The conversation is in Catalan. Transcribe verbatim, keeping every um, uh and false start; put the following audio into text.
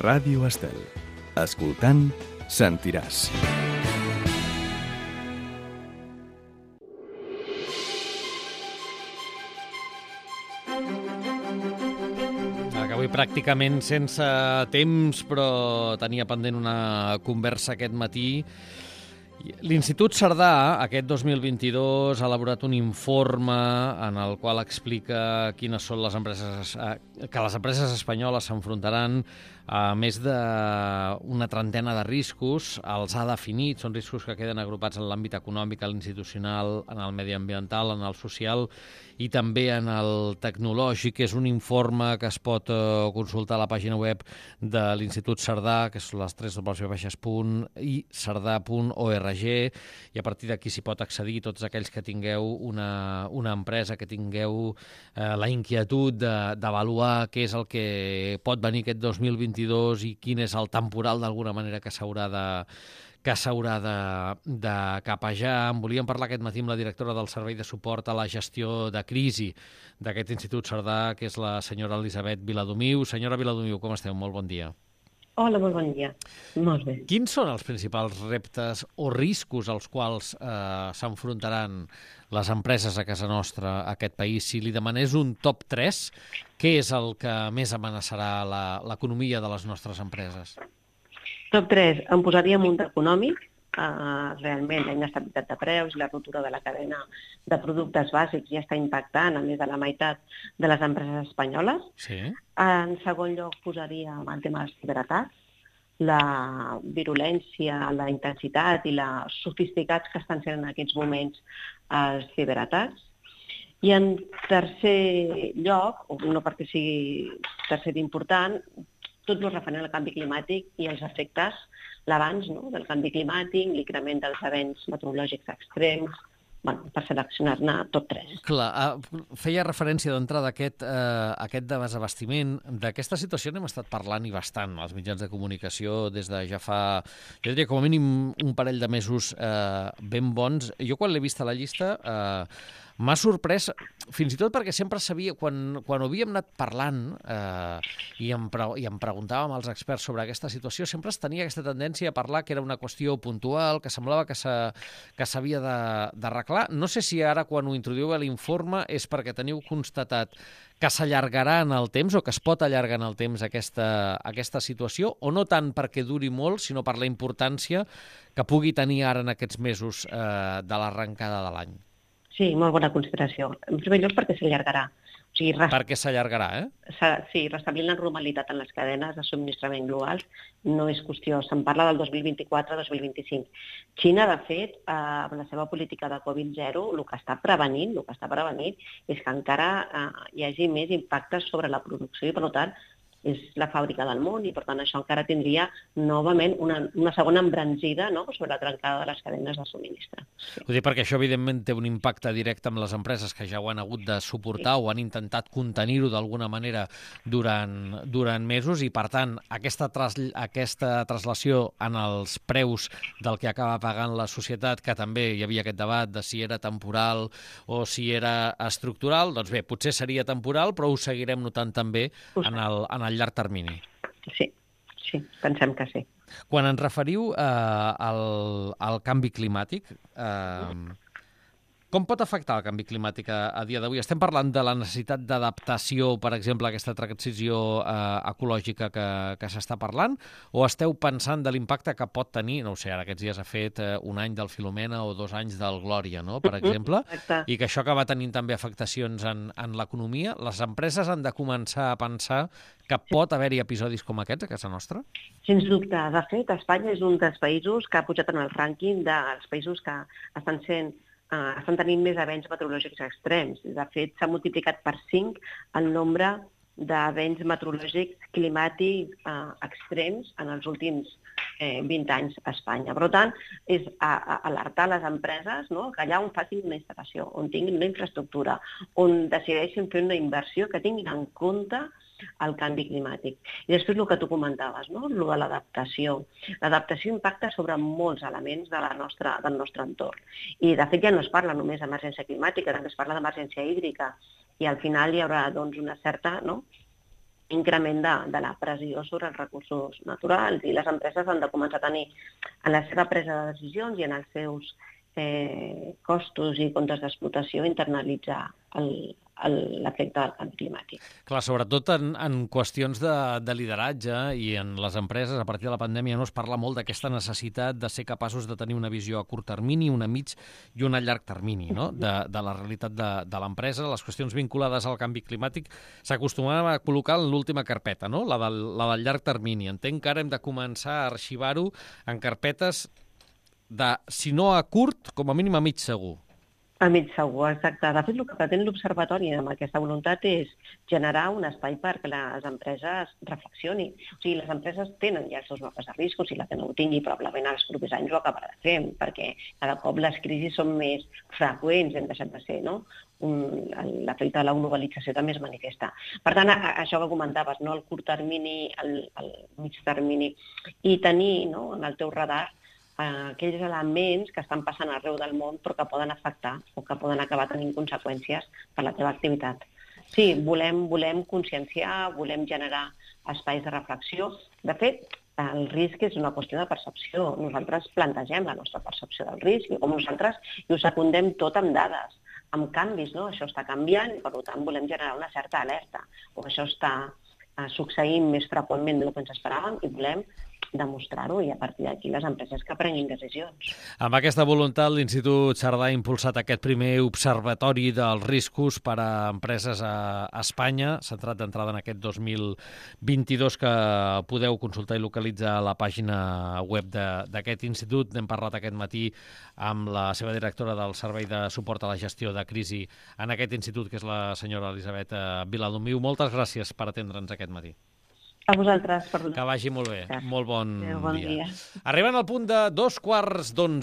Ràdio Estel. Escoltant, sentiràs. Avui pràcticament sense temps, però tenia pendent una conversa aquest matí. L'Institut Cerdà, aquest dos mil vint-i-dos, ha elaborat un informe en el qual explica quines són les empreses, que les empreses espanyoles s'enfrontaran a més d'una trentena de riscos. Els ha definit, són riscos que queden agrupats en l'àmbit econòmic, en l'institucional, en el mediambiental, en el social i també en el tecnològic. És un informe que es pot consultar a la pàgina web de l'Institut Cerdà, que és les tres dobles punt i cerdà punt org, i a partir d'aquí s'hi pot accedir tots aquells que tingueu una, una empresa, que tingueu eh, la inquietud d'avaluar què és el que pot venir aquest dos mil vint-i-dos i quin és el temporal d'alguna manera que s'haurà de que s'haurà de, de capejar. En volíem parlar aquest matí amb la directora del Servei de Suport a la Gestió de Crisi d'aquest Institut Cerdà, que és la senyora Elisabet Viladomiu. Senyora Viladomiu, com esteu? Molt bon dia. Hola, molt bon dia. Molt bé. Quins són els principals reptes o riscos als quals eh, s'enfrontaran les empreses a casa nostra, a aquest país? Si li demanés un top tres, què és el que més amenaçarà l'economia de les nostres empreses? Top tres, em posaria en un econòmic. Uh, realment la inestabilitat de preus i la ruptura de la cadena de productes bàsics ja està impactant a més de la meitat de les empreses espanyoles. Sí. En segon lloc posaria el tema dels ciberatacs, la virulència, la intensitat i la sofisticats que estan sent en aquests moments els ciberatacs. I en tercer lloc, o no perquè sigui tercer d'important, tot el referent al canvi climàtic i els efectes, l'abans no, del canvi climàtic, l'increment dels events meteorològics extrems, bueno, per seleccionar-ne tot tres. Clar, feia referència d'entrada a aquest, eh, aquest desabastiment. D'aquesta situació n'hem estat parlant i bastant als mitjans de comunicació des de ja fa, jo diria com a mínim un parell de mesos eh, ben bons. Jo quan l'he vist a la llista eh, m'ha sorprès, fins i tot perquè sempre sabia, quan, quan ho havíem anat parlant eh, i, em pre i em preguntàvem als experts sobre aquesta situació, sempre es tenia aquesta tendència a parlar que era una qüestió puntual, que semblava que s'havia d'arreglar. No sé si ara, quan ho introduïu a l'informe, és perquè teniu constatat que s'allargarà en el temps o que es pot allargar en el temps aquesta, aquesta situació, o no tant perquè duri molt, sinó per la importància que pugui tenir ara en aquests mesos eh, de l'arrencada de l'any. Sí, molt bona consideració. En primer lloc, perquè s'allargarà. O sigui, rest... Perquè s'allargarà, eh? Sí, restablir la normalitat en les cadenes de subministrament globals no és qüestió. Se'n parla del dos mil vint-i-quatre dos mil vint-i-cinc. Xina, de fet, eh, amb la seva política de Covid zero, el que està prevenint, el que està prevenint és que encara eh, hi hagi més impactes sobre la producció i, per tant, és la fàbrica del món i, per tant, això encara tindria novament una, una segona embranzida, no?, sobre la trencada de les cadenes de subministre. Sí. Ho dic perquè això, evidentment, té un impacte directe amb les empreses que ja ho han hagut de suportar, sí, o han intentat contenir-ho d'alguna manera durant, durant mesos i, per tant, aquesta, tras, aquesta traslació en els preus del que acaba pagant la societat, que també hi havia aquest debat de si era temporal o si era estructural, doncs bé, potser seria temporal, però ho seguirem notant també en el, en el llarg termini. Sí, sí, pensem que sí. Quan ens referiu eh, al, al canvi climàtic, eh, com pot afectar el canvi climàtic a, a dia d'avui? Estem parlant de la necessitat d'adaptació, per exemple, a aquesta transició eh, ecològica que, que s'està parlant, o esteu pensant de l'impacte que pot tenir, no ho sé, ara aquests dies ha fet eh, un any del Filomena o dos anys del Glòria, no?, per exemple, Exacte. I que això acaba tenint també afectacions en, en l'economia. Les empreses han de començar a pensar que pot haver-hi episodis com aquests a casa nostra? Sens dubte. De fet, Espanya és un dels països que ha pujat en el rànquing dels països que estan sent uh, estan tenint més events meteorològics extrems. De fet, s'ha multiplicat per cinc el nombre d'events meteorològics climàtics uh, extrems en els últims eh, vint anys a Espanya. Per tant, és a, a alertar les empreses, no?, que allà on facin una instal·lació, on tinguin una infraestructura, on decideixin fer una inversió, que tinguin en compte el canvi climàtic. I després el que tu comentaves, no?, el de l'adaptació. L'adaptació impacta sobre molts elements de la nostra, del nostre entorn. I, de fet, ja no es parla només d'emergència climàtica, també es parla d'emergència hídrica. I al final hi haurà doncs, una certa, no?, increment de, de la pressió sobre els recursos naturals, i les empreses han de començar a tenir en la seva presa de decisions i en els seus eh, costos i comptes d'explotació internalitzar el, el, l'efecte del canvi climàtic. Clar, sobretot en, en qüestions de, de lideratge i en les empreses, a partir de la pandèmia no es parla molt d'aquesta necessitat de ser capaços de tenir una visió a curt termini, una mig i una a llarg termini, no? de, de la realitat de, de l'empresa. Les qüestions vinculades al canvi climàtic s'acostumaven a col·locar en l'última carpeta, no? la, del, la del llarg termini. Entenc que ara hem de començar a arxivar-ho en carpetes de, si no a curt, com a mínim a mig segur. A mig segur, exacte. De fet, el que pretén l'Observatori amb aquesta voluntat és generar un espai perquè les empreses reflexionin. O sigui, les empreses tenen ja els seus mapes de riscos, i la que no ho tingui probablement els propers anys ho acabarà fent, perquè cada cop les crisis són més freqüents, hem deixat de ser, no? Un, l'efecte de la globalització també es manifesta. Per tant, a, això que comentaves, no? El curt termini, el, el mig termini, i tenir, no? En el teu radar aquells elements que estan passant arreu del món però que poden afectar o que poden acabar tenint conseqüències per la teva activitat. Sí, volem, volem conscienciar, volem generar espais de reflexió. De fet, el risc és una qüestió de percepció. Nosaltres plantegem la nostra percepció del risc i com nosaltres i ho secundem tot amb dades, amb canvis, no? Això està canviant i per tant volem generar una certa alerta, o això està eh, succeint més freqüentment del que ens esperàvem i volem demostrar-ho, i a partir d'aquí les empreses que prenguin decisions. Amb aquesta voluntat, l'Institut Cerdà ha impulsat aquest primer observatori dels riscos per a empreses a Espanya, centrat d'entrada en aquest dos mil vint-i-dos, que podeu consultar i localitzar a la pàgina web d'aquest institut. N'hem parlat aquest matí amb la seva directora del Servei de Suport a la Gestió de Crisi en aquest institut, que és la senyora Elisabet Viladomiu. Moltes gràcies per atendre'ns aquest matí. A vosaltres. Per... Que vagi molt bé. Gràcies. Molt bon, Adéu, bon dia. dia. Arribant al punt de dos quarts d'onze.